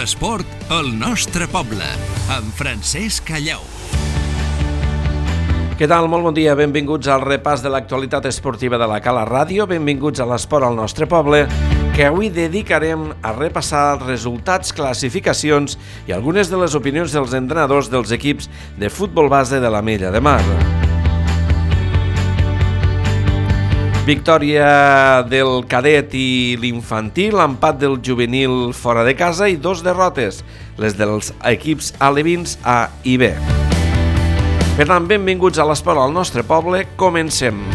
L'esport al nostre poble, amb Francesc Callau. Què tal? Molt bon dia, benvinguts al repàs de l'actualitat esportiva de la Cala Ràdio, benvinguts a l'esport al nostre poble, que avui dedicarem a repassar resultats, classificacions i algunes de les opinions dels entrenadors dels equips de futbol base de l'Ametlla de Mar. Victòria del cadet i l'infantil, empat del juvenil fora de casa i 2 derrotes, les dels equips alevins A i B. Per tant, benvinguts a l'esport al nostre poble, comencem.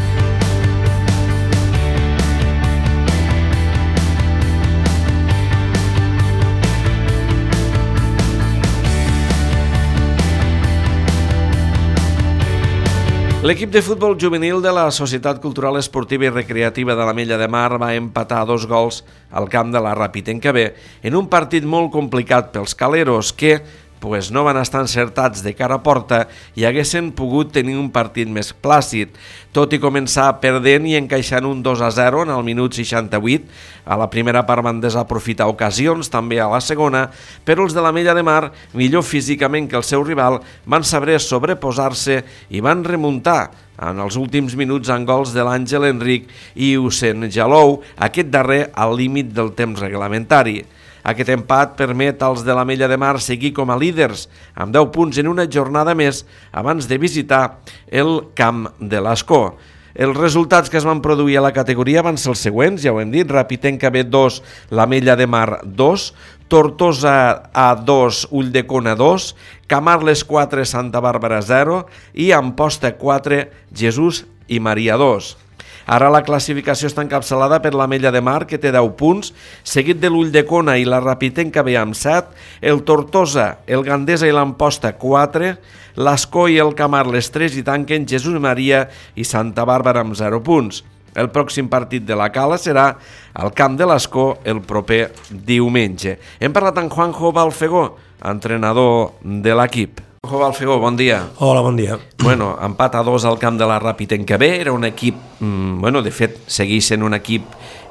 L'equip de futbol juvenil de la Societat Cultural Esportiva i Recreativa de l'Ametlla de Mar va empatar 2 gols al camp de la Ràpita en un partit molt complicat pels caleros que no van estar encertats de cara a porta i haguessin pogut tenir un partit més plàcid, tot i començar perdent i encaixant un 2-0 en el minut 68. A la primera part van desaprofitar ocasions, també a la segona, però els de l'Ametlla de Mar, millor físicament que el seu rival, van saber sobreposar-se i van remuntar en els últims minuts amb gols de l'Àngel Enric i Hussein Jalou, aquest darrer al límit del temps reglamentari. Aquest empat permet als de l'Ametlla de Mar seguir com a líders amb 10 punts en una jornada més abans de visitar el camp de l'Escó. Els resultats que es van produir a la categoria van ser els següents, ja ho hem dit: Ràpita B 2, l'Ametlla de Mar 2, Tortosa A 2, Ulldecona 2, Camarles 4, Santa Bàrbara 0 i Amposta 4, Jesús i Maria 2. Ara la classificació està encapçalada per l'Ametlla de Mar, que té 10 punts, seguit de l'Ulldecona i la Ràpita B amb 7, el Tortosa, el Gandesa i l'Amposta 4, l'Escó i el Camarles 3 i tanquen Jesús Maria i Santa Bàrbara amb 0 punts. El pròxim partit de la Cala serà al camp de l'Escó el proper diumenge. Hem parlat amb Juanjo Balfegó, entrenador de l'equip. Juanjo Balfegó, bon dia. Hola, bon dia. Empat a 2 al camp de la Ràpita B, era un equip, de fet, segueix sent un equip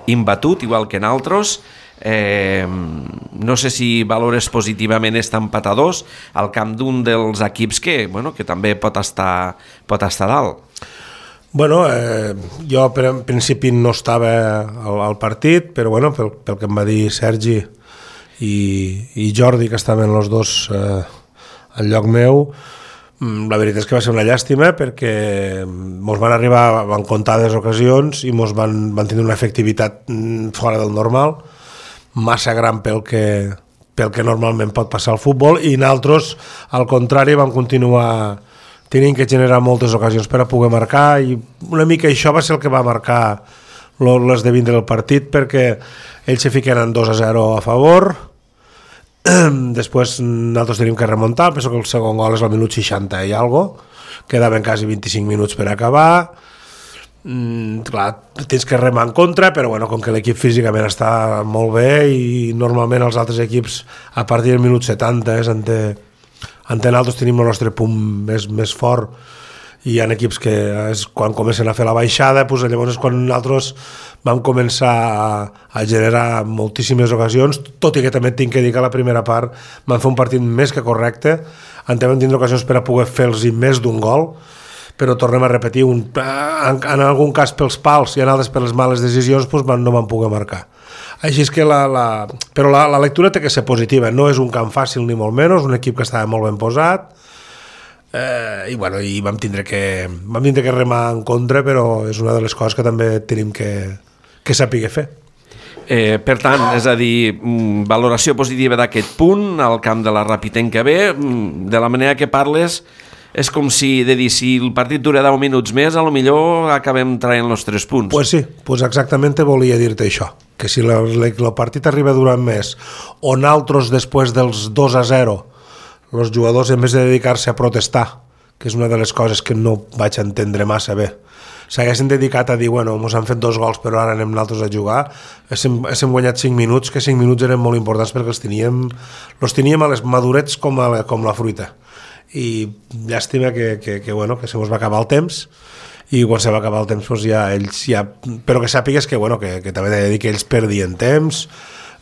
imbatut, igual que en altres. No sé si valores positivament este empat a 2 al camp d'un dels equips que també pot estar dalt. Jo en principi no estava al partit, però pel que em va dir Sergi i Jordi, que estaven els dos al lloc meu, la veritat és que va ser una llàstima perquè mos van arribar en comptades ocasions i mos van tenir una efectivitat fora del normal, massa gran pel que normalment pot passar al futbol, i nosaltres, al contrari, vam continuar tenint que generar moltes ocasions per a poder marcar, i una mica això va ser el que va marcar l'esdevindre del partit, perquè ells se fiquen 2-0 a favor. Després nosaltres tenim que remuntar, penso que el segon gol és al minut 60 i algo, quedaven quasi 25 minuts per acabar. Clar, tens que remar en contra, però com que l'equip físicament està molt bé i normalment els altres equips a partir del minut 70 nosaltres tenim el nostre punt més fort, i hi ha equips que quan comencen a fer la baixada, llavors és quan nosaltres vam començar a generar moltíssimes ocasions, tot i que també tinc que dir que a la primera part vam fer un partit més que correcte, vam tindre ocasions per a poder fer-los més d'un gol, però tornem a repetir, en algun cas pels pals i en altres per les males decisions no van poder marcar. Així és que però la lectura té que ser positiva, no és un camp fàcil ni molt menys, un equip que estava molt ben posat, i vam tindre que remar en contra, però és una de les coses que també tenim que saber fer. Per tant, és a dir, valoració positiva d'aquest punt al camp de la Ràpita B, de la manera que parles, és com si el partit dura 10 minuts més, a lo millor acabem traient els 3 punts. Pues sí, exactament volia dir-te això, que si el partit arriba durant més, o nosaltres després dels 2-0 els jugadors, en vez de dedicar-se a protestar, que és una de les coses que no vaig entendre massa bé, s'haguessin dedicat a dir, mos han fet 2 gols però ara anem nosaltres a jugar, hem guanyat 5 minuts, que 5 minuts eren molt importants perquè els teníem a les madurets com la fruita, i llàstima que se mos va acabar el temps, i quan se va acabar el temps però que sàpigues que també he de dir que ells perdien temps,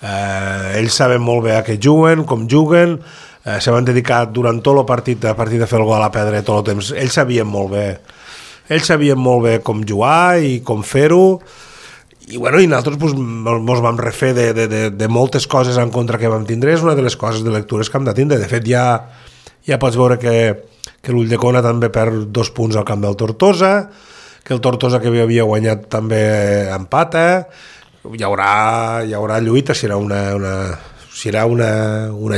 Ells saben molt bé a què juguen, com juguen, se van dedicar durant tot el partit, a partir de fer el gol a perdre tot el temps. Ells sabien molt bé com jugar i com fer-ho, i nosaltres ens vam refer de moltes coses en contra que vam tindre. És una de les coses de lectures que hem de tindre. De fet, ja pots veure que l'Ulldecona també perd 2 punts al camp del Tortosa, que el Tortosa, que havia guanyat, també empata. Hi haurà lluita, serà una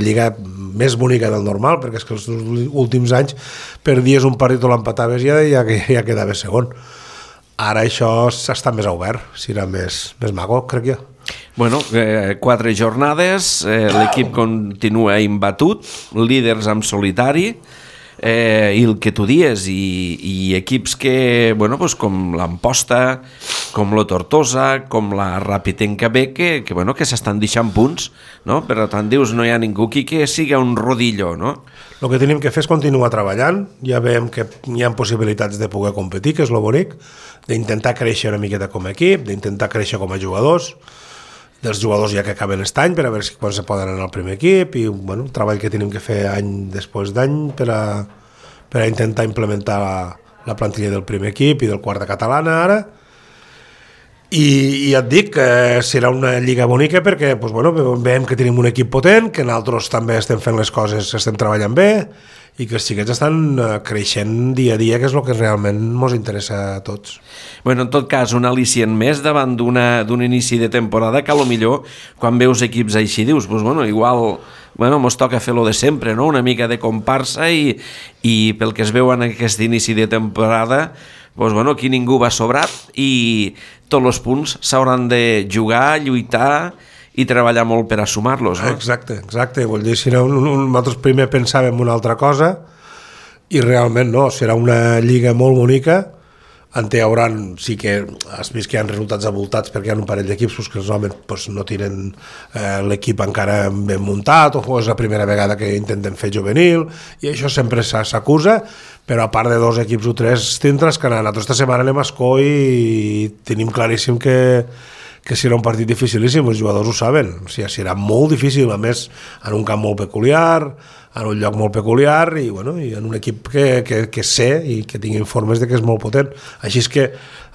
lliga més bonica del normal, perquè és que els últims anys perdies un partit o l'empataves i ja quedaves segon. Ara això està més obert, serà més maco, crec jo. 4 jornades, l'equip continua imbatut, líders en solitari, i el que tu dies, i equips que, com l'Amposta, com la Tortosa, com la Rapitenca B, que s'estan deixant punts, no? Per tant, dius, no hi ha ningú aquí que sigui un rodillo, no? El que tenim que fer és continuar treballant, ja veiem que hi ha possibilitats de poder competir, que és lo bonic, d'intentar créixer una miqueta com a equip, d'intentar créixer com a jugadors, dels jugadors ja que acaben aquest any, per a veure quan se poden anar al primer equip, i el treball que tenim que fer any després d'any per a intentar implementar la plantilla del primer equip i del quart de catalana ara. I ja et dic que serà una lliga bonica perquè veiem que tenim un equip potent, que nosaltres també estem fent les coses, estem treballant bé, i que els xiquets estan creixent dia a dia, que és el que realment ens interessa a tots. En tot cas, un al·licient més davant d'un inici de temporada que millor quan veus equips així dius, igual mos toca fer-lo de sempre, no? Una mica de comparsa, i pel que es veu en aquest inici de temporada, aquí ningú va sobrat i tots els punts s'hauran de jugar, lluitar i treballar molt per a sumar-los, no? Exacte. Vull dir, nosaltres primer pensàvem una altra cosa i realment no, serà una lliga molt bonica. Sí que has vist que hi ha resultats avoltats perquè hi ha un parell d'equips que els homes no tiren l'equip encara ben muntat, o és la primera vegada que intenten fer juvenil, i això sempre s'acusa, però a part de 2 equips o 3 tindràs que anar. Nosaltres esta setmana anem a Escó i tenim claríssim que serà un partit dificilíssim, els jugadors ho saben, serà molt difícil, a més en un camp molt peculiar, en un lloc molt peculiar, i en un equip que sé i que tingui informes de que és molt potent. Així és que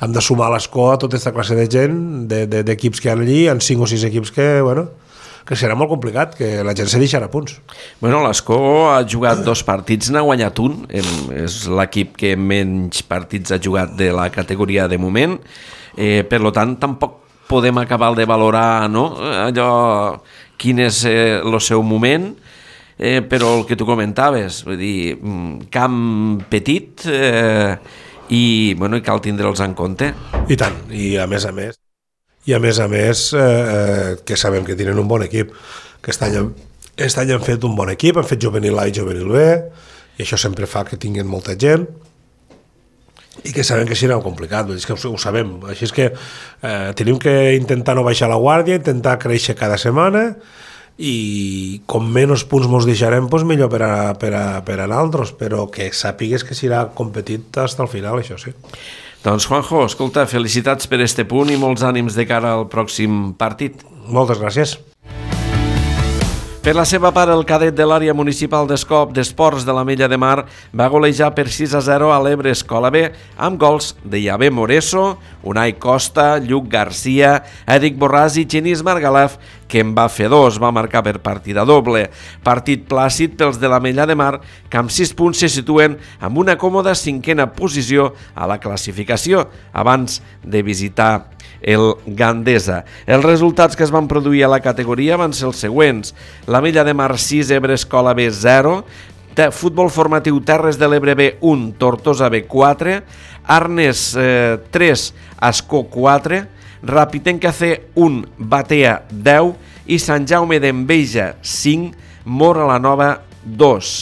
hem de sumar a l'Escó a tota aquesta classe de gent, d'equips que hi ha allí, en 5 o 6 equips que serà molt complicat, que la gent se deixarà punts. L'Escó ha jugat 2 partits, n'ha guanyat un, és l'equip que menys partits ha jugat de la categoria de moment, per tant tampoc podem acabar de valorar, no? Allò, quin és el seu moment, però el que tu comentaves, vull dir, camp petit, i cal tindre'ls en compte. I tant, i a més que sabem que tenen un bon equip, que aquest any han fet un bon equip, han fet juvenil A i juvenil B, i això sempre fa que tinguin molta gent, i que sabem que serà complicat, és que ho sabem. Així és que tenim que intentar no baixar la guàrdia, intentar créixer cada setmana, i com menys punts ens deixarem, millor per a nosaltres, però que sàpigues que serà competit fins al final, això sí. Doncs Juanjo, escolta, felicitats per este punt i molts ànims de cara al pròxim partit. Moltes gràcies. Per la seva part, el cadet de l'àrea municipal d'esports de l'Ametlla de Mar va golejar per 6-0 a l'Ebre Escola B amb gols de Javé Moreso, Unai Costa, Lluc Garcia, Eric Borràs i Genís Margalef, que en va fer 2, va marcar per partida doble. Partit plàcid pels de l'Ametlla de Mar, que amb 6 punts se situen amb una còmoda 5a posició a la classificació, abans de visitar el Gandesa. Els resultats que es van produir a la categoria van ser els següents: l'Ametlla de Mar 6, Ebre Escola B 0, Futbol Formatiu Terres de l'Ebre B 1, Tortosa B 4, Arnes 3, Ascó 4, Rapitenca C 1, Batea 10 i Sant Jaume d'Enveja 5, Móra la Nova 2.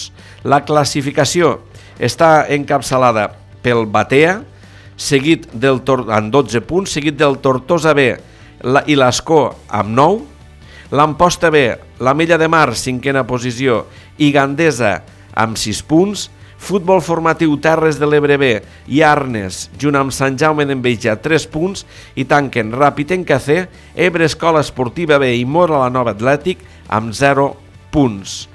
La classificació està encapçalada pel Batea, seguit amb 12 punts, seguit del Tortosa B i l'Escó amb 9, l'Amposta B, l'Ametlla de Mar, 5a posició, i Gandesa amb 6 punts, Futbol formatiu Terres de l'Ebre B i Arnes, junt amb Sant Jaume d'Enveja, 3 punts, i tanquen Ràpid en Cacé, Ebre Escola Esportiva B i Mora la Nova Atlètic amb 0 punts.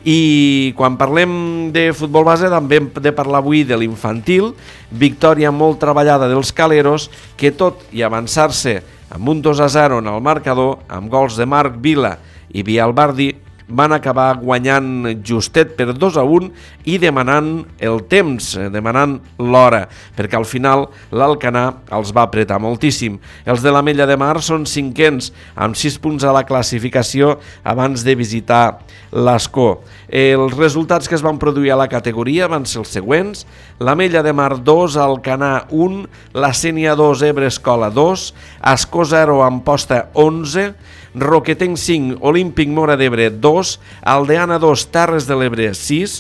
I quan parlem de futbol base també hem de parlar avui de l'infantil, victòria molt treballada dels Caleros, que tot i avançar-se amb un 2-0 en el marcador, amb gols de Marc Vila i Biel Bardi, van acabar guanyant justet per 2-1 i demanant el temps, demanant l'hora, perquè al final l'Alcanar els va apretar moltíssim. Els de l'Ametlla de Mar són 5ens, amb 6 punts a la classificació abans de visitar l'Ascó. Els resultats que es van produir a la categoria van ser els següents: l'Ametlla de Mar 2, Alcanar 1, la Sénia 2, Ebre Escola 2, Ascó 0, Amposta 11, Roquetenc 5, Olímpic Mora d'Ebre 2, Aldeana 2, Terres de l'Ebre 6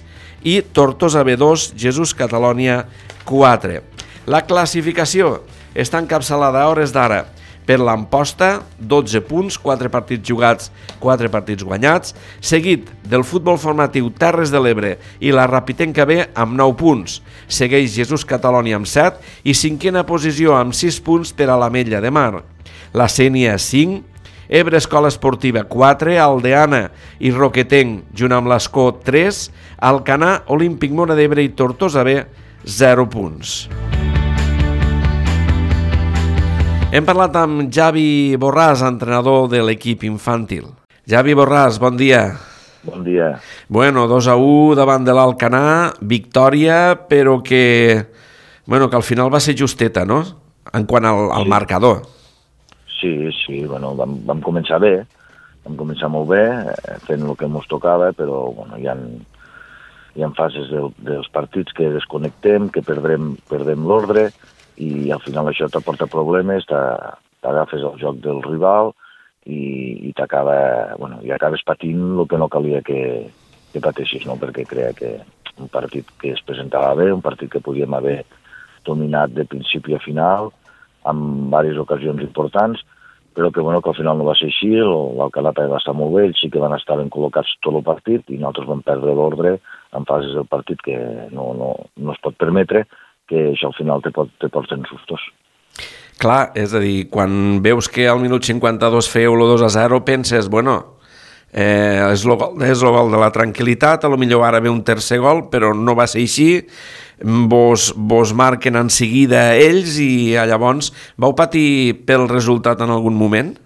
i Tortosa B 2, Jesús Catalònia 4. La classificació està encapçalada a hores d'ara per l'Amposta, 12 punts, 4 partits jugats, 4 partits guanyats, seguit del futbol formatiu Terres de l'Ebre i la Rapitenca B amb 9 punts. Segueix Jesús Catalònia amb 7 i cinquena posició amb 6 punts per a l'Ametlla de Mar. La Sénia 5, Ebre Escola Esportiva 4, Aldeana i Roquetenc, junt amb l'Ascó 3, Alcanar, Olímpic Mora d'Ebre i Tortosa B, 0 punts. Hem parlat amb Javi Borràs, entrenador de l'equip infantil. Javi Borràs, bon dia. Bon dia. Bueno, 2-1 davant de l'Alcanar, victòria, però que al final va ser justeta, no?, en quant al marcador. Sí, bueno, vam començar bé, vam començar molt bé, fent el que ens tocava, però bueno, hi ha fases dels partits que desconnectem, que perdem l'ordre, i al final això t'aporta problemes, t'agafes el joc del rival i acabes patint el que no calia que pateixis, no? Perquè creia que un partit que es presentava bé, un partit que podíem haver dominat de principi a final, amb diverses ocasions importants, però que al final no va ser així. L'Alcanar va estar molt bé, ells sí que van estar ben col·locats tot el partit i nosaltres vam perdre l'ordre en fases del partit que no es pot permetre, que això al final te porten sustos. Clar, és a dir, quan veus que al minut 52 feu el 2-0, penses, és el gol de la tranquil·litat, a lo millor ara ve un tercer gol, però no va ser així, vos marquen en seguida ells i llavors vau patir pel resultat en algun moment?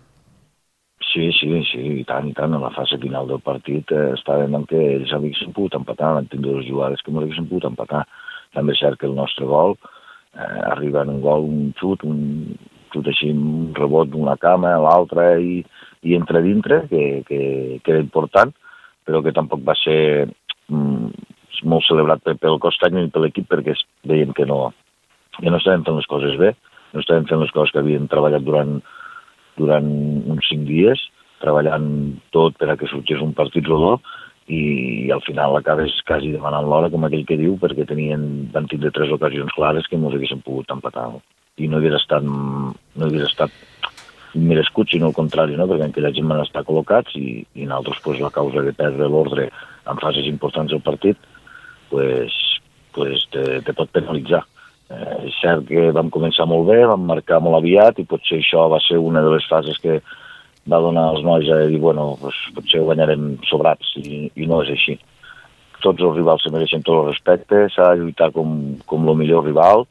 Sí, i tant, en la fase final del partit estàvem en què ells haguessin pogut empatar, van tindre dues jugades que no haguessin pogut empatar. També és cert que el nostre gol arriba en un gol, un xut així, un rebot d'una cama a l'altra i entra dintre, que era important, però que tampoc va ser molt celebrat pel cos tècnic i per l'equip, perquè veiem que no estàvem fent les coses bé, no estàvem fent les coses que havíem treballat durant uns 5 dies, treballant tot per a que sorgís un partit rodó, i al final acabes quasi demanant l'hora, com aquell que diu, perquè van tindre 3 ocasions clares que ens haguessin pogut empatar. I no hagués estat merescut, sinó al contrari, no? Perquè aquella gent van estar col·locats i nosaltres la causa de perdre l'ordre en fases importants del partit te pot penalitzar. És cert que vam començar molt bé, vam marcar molt aviat i potser això va ser una de les fases que va donar als nois a dir, potser ho guanyarem sobrats, i no és així. Tots els rivals se mereixen tot el respecte, s'ha de lluitar com el millor rival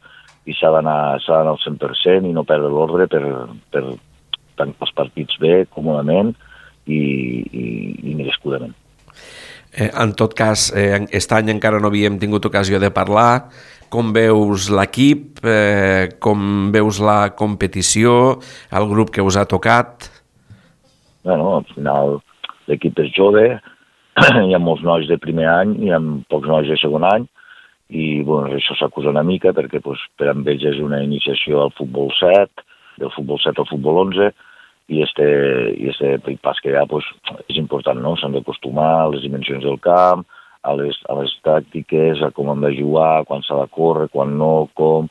i s'ha d'anar al 100% i no perdre l'ordre per tancar els partits bé, còmodament i merescudament. En tot cas, aquest any encara no havíem tingut ocasió de parlar. Com veus l'equip, com veus la competició, el grup que us ha tocat? Al final l'equip és jove, hi ha molts nois de primer any, hi ha pocs nois de segon any, i això s'acusa una mica perquè per amb ells és una iniciació al futbol 7, del futbol 7 al futbol 11, i este pas que hi ha és important, no? S'han d'acostumar a les dimensions del camp, a les tàctiques, a com hem de jugar, quan s'ha de córrer, quan no, com...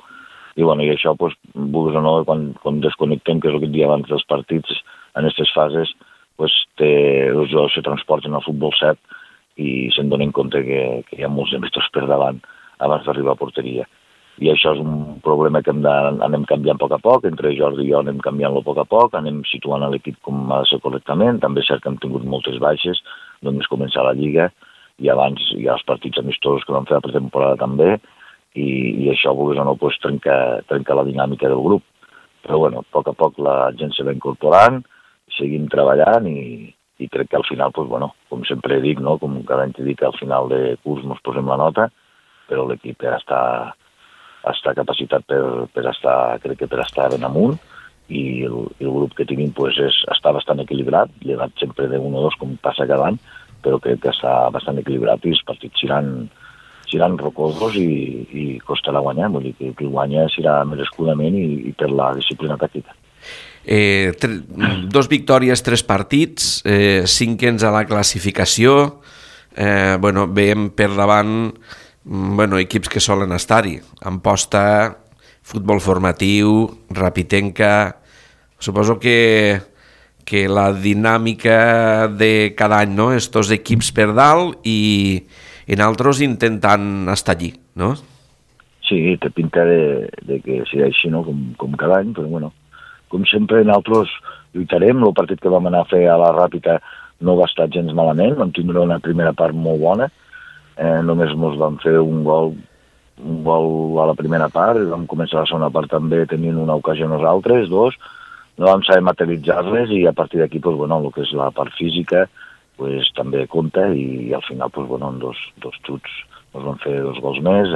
I això, vulguis o no, quan desconnectem, que és el que et dia abans dels partits, en aquestes fases, els jugadors se transporten al futbol 7 i se'n donen compte que hi ha molts de mestres per davant abans d'arribar a porteria. I això és un problema que anem canviant a poc, entre Jordi i jo anem canviant-lo a poc, anem situant l'equip com ha de ser correctament, també és cert que hem tingut moltes baixes, només començar la Lliga, i abans hi ha els partits amistosos que vam fer la pretemporada també, i això, vulguis o no, pues, trenca la dinàmica del grup. Però bueno, a poc la gent se va incorporant, seguim treballant i crec que al final, pues, bueno, com sempre dic, no? Com cada any t'he dit que al final de curs ens posem la nota, però l'equip ja està capacitat per estar ben amunt, i el grup que tenim pues, està bastant equilibrat, llevat sempre de 1 o 2 com passa cada any, però crec que està bastant equilibrat i els partits seran rocosos i costarà guanyar, vull dir que qui guanya serà merescudament i per la disciplina tàctica. 2 victòries, 3 partits, 5ens a la classificació, veiem per davant equips que solen estar-hi, Amposta, futbol formatiu, Rapitenca. Suposo que la dinàmica de cada any, no? Estos equips per dalt i nosaltres intentant estar allí, no? Sí, té pinta de que sigui així, no? Com cada any, però bueno, com sempre nosaltres lluitarem. El partit que vam anar a fer a la Ràpita no va estar gens malament, vam tindre una primera part molt bona. Només ens vam fer un gol a la primera part, i vam començar la segona part també tenint una ocasió nosaltres, 2, no vam saber materialitzar-les, i a partir d'aquí, pues, bueno, el que és la part física pues, també compta, i al final pues, bueno, en dos xuts ens vam fer 2 gols més.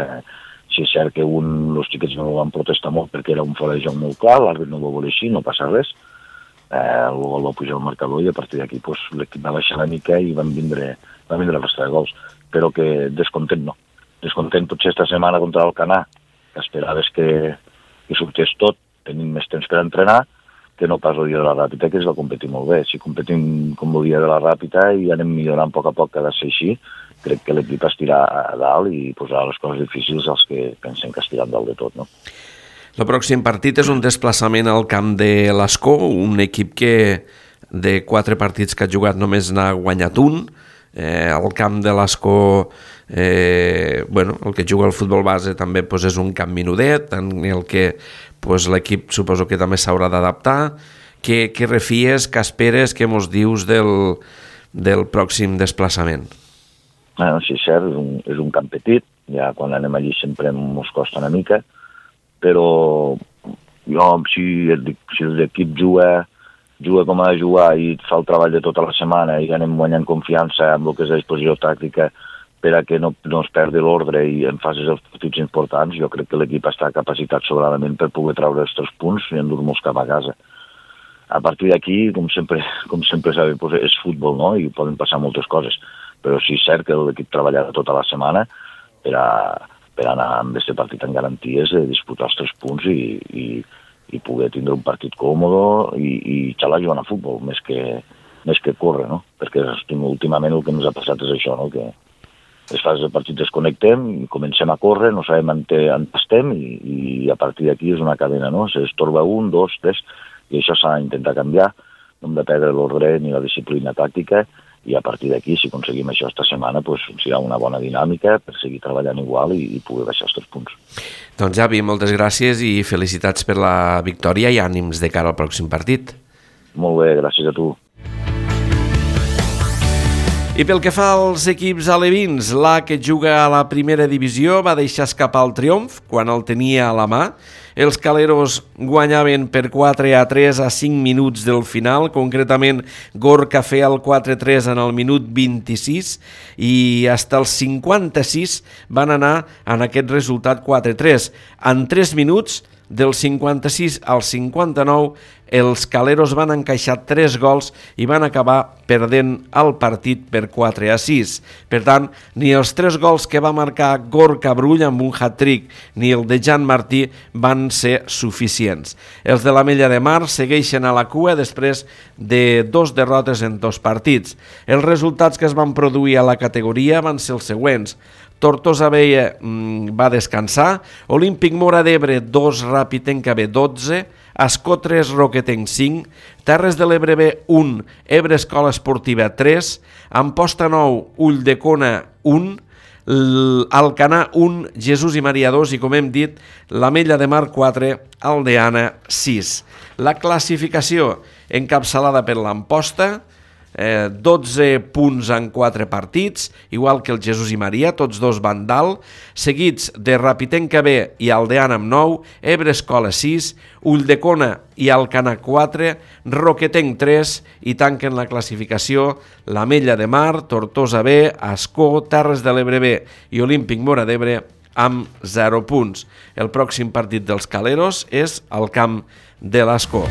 Sí, és cert que els xiquets no van protestar molt perquè era un fora de joc molt clar, l'àrbit no ho va voler així, no passa res, el gol va pujar al marcador, i a partir d'aquí pues, l'equip va baixar una mica i van vindre la resta de gols, però que descontent no. Descontent potser esta setmana contra l'Alcanar, que esperaves que sortés tot, tenim més temps per entrenar, que no pas el dia de la Ràpita, que es va competir molt bé. Si competim com el dia de la Ràpita i anem millorant a poc que ha de ser així, crec que l'equip estirà a dalt i posarà les coses difícils als que pensem que estiran dalt de tot, no? El pròxim partit és un desplaçament al camp de l'Escó, un equip que de 4 partits que ha jugat només n'ha guanyat un. El camp de l'Escó, el que juga al futbol base també és un camp menudet, en el que l'equip suposo que també s'haurà d'adaptar. Què refies, què esperes, què mos dius del pròxim desplaçament? Sí, és cert, és un camp petit, ja quan anem allí sempre ens costa una mica, però jo, si l'equip juga com ha de jugar i fa el treball de tota la setmana i anem guanyant confiança amb el que és la disposició tàctica per a que no es perdi l'ordre i en fases els partits importants, jo crec que l'equip està capacitat sobradament per poder treure els 3 punts i endur-nos cap a casa. A partir d'aquí, com sempre s'ha dit, és futbol, no? I poden passar moltes coses, però sí és cert que l'equip treballarà tota la setmana per anar amb aquest partit en garanties de disputar els 3 punts i poder tindre un partit còmode i xalar jugant a futbol, més que córrer, no? Perquè últimament el que ens ha passat és això, no? Que les fases de partit desconnectem i comencem a córrer, no sabem on estem i a partir d'aquí és una cadena, no? S'estorba 1, 2, 3, i això s'ha d'intentar canviar, no hem de perdre l'ordre ni la disciplina tàctica, i a partir d'aquí, si aconseguim això esta setmana, serà una bona dinàmica per seguir treballant igual i poder baixar els 3 punts. Doncs Javi, moltes gràcies i felicitats per la victòria i ànims de cara al pròxim partit. Molt bé, gràcies a tu. I pel que fa als equips alevins, que juga a la primera divisió va deixar escapar el triomf quan el tenia a la mà. Els caleros guanyaven per 4-3 a 5 minuts del final, concretament Gorka feia el 4-3 en el minut 26 i fins als 56 van anar en aquest resultat 4-3. En 3 minuts, del 56 al 59, els caleros van encaixar 3 gols i van acabar perdent el partit per 4-6. Per tant, ni els 3 gols que va marcar Gorka Brull amb un hat-trick ni el de Jan Martí van ser suficients. Els de l'Ametlla de Mar segueixen a la cua després de 2 derrotes en 2 partits. Els resultats que es van produir a la categoria van ser els següents. Tortosa Vella va descansar, Olímpic Móra d'Ebre 2, Rapitenca B 12, Ascó 3, Roquetenc 5, Terres de l'Ebre B 1, Ebre Escola Esportiva 3, Amposta 9, Ulldecona 1, Alcanar 1, Jesús i Maria 2 i, com hem dit, l'Ametlla de Mar 4, Aldeana 6. La classificació encapçalada per l'Amposta, 12 punts en 4 partits, igual que el Jesús i Maria, tots dos van dalt, seguits de Rapitenca B i Aldeana amb 9, Ebre Escola 6, Ulldecona i Alcanar 4, Roquetenc 3 i tanquen la classificació l'Ametlla de Mar, Tortosa B, Ascó, Terres de l'Ebre B i Olímpic Móra d'Ebre amb 0 punts. El pròxim partit dels Caleros és al camp de l'Ascó.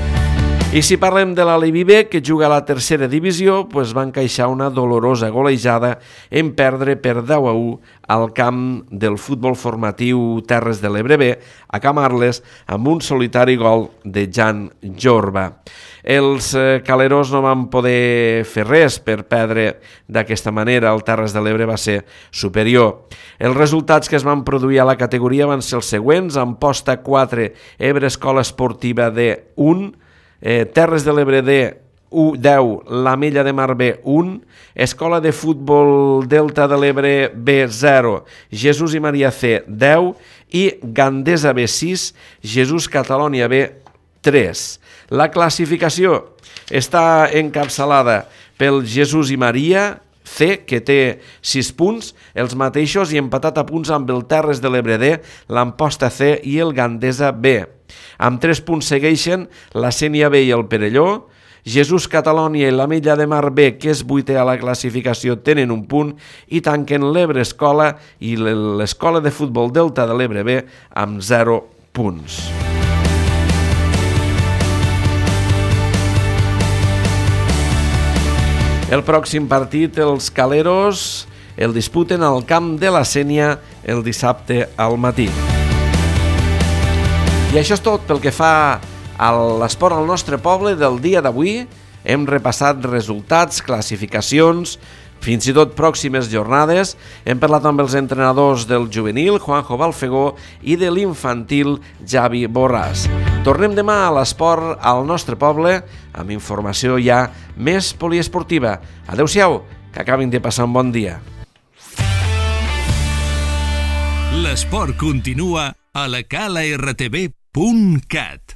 I si parlem de l'Aleví B, que juga a la tercera divisió, doncs va encaixar una dolorosa golejada en perdre per 10-1 al camp del futbol formatiu Terres de l'Ebre B, a Camarles, amb un solitari gol de Jan Jorba. Els caleros no van poder fer res per perdre d'aquesta manera, el Terres de l'Ebre va ser superior. Els resultats que es van produir a la categoria van ser els següents: Amposta 4, Ebre Escola Esportiva D 1, Terres de l'Ebre D 10, l'Ametlla de Mar B 1, Escola de Futbol Delta de l'Ebre B 0, Jesús i Maria C 10 i Gandesa B 6, Jesús Catalònia B 3. La classificació està encapçalada pel Jesús i Maria C, que té 6 punts, els mateixos, i empatat a punts amb el Terres de l'Ebre D, l'Amposta C i el Gandesa B. Amb 3 punts segueixen la Sénia B i el Perelló. Jesús Catalònia i l'Ametlla de Mar B, que és 8è a la classificació, tenen 1 punt i tanquen l'Ebre Escola i l'Escola de Futbol Delta de l'Ebre B amb 0 punts. El pròxim partit, els Caleros, el disputen al camp de la Sénia el dissabte al matí. I això és tot pel que fa a l'esport al nostre poble del dia d'avui. Hem repassat resultats, classificacions, fins i tot pròximes jornades. Hem parlat amb els entrenadors del juvenil, Juanjo Balfegó, i de l'infantil, Javi Borràs. Tornem demà a l'esport al nostre poble amb informació ja més poliesportiva. Adéu-siau, que acabin de passar un bon dia. L'esport continua a la calartv.cat.